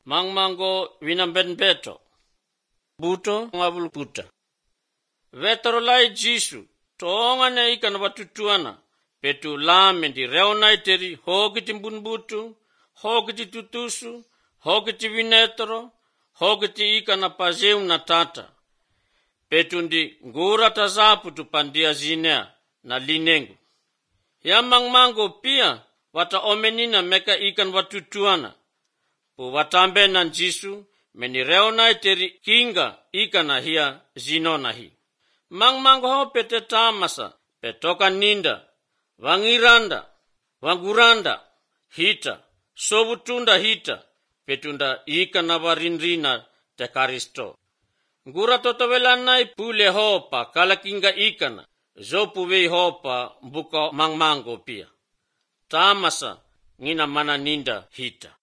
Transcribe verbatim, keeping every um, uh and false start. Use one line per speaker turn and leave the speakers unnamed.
mangmango winamben beto. Buto ngabul puta. Vetorolai Jisu, toongane ikan watutuana, petu lame di reonai teri hogiti bunbutu, hogiti tutusu, hogiti vinetoro, hogiti ikan apazeu na tata. Petu ndi ngura tazapu tupandia zinea na linengu. Ya mangmango pia wata omenina meka ikan watutuana. Pu watambe na Jisu meni reonai teri kinga ikan hia zinona hi. Mangmango ho pete tamasa petoka ninda, wangiranda, wanguranda, hita, sobutunda hita, petunda ikan nawarinrina te karisto. Ngura totovelanai pule hopa kalakinga ikana, zopuwei hopa buka mangmango pia. Tamasa ngina mana ninda hita.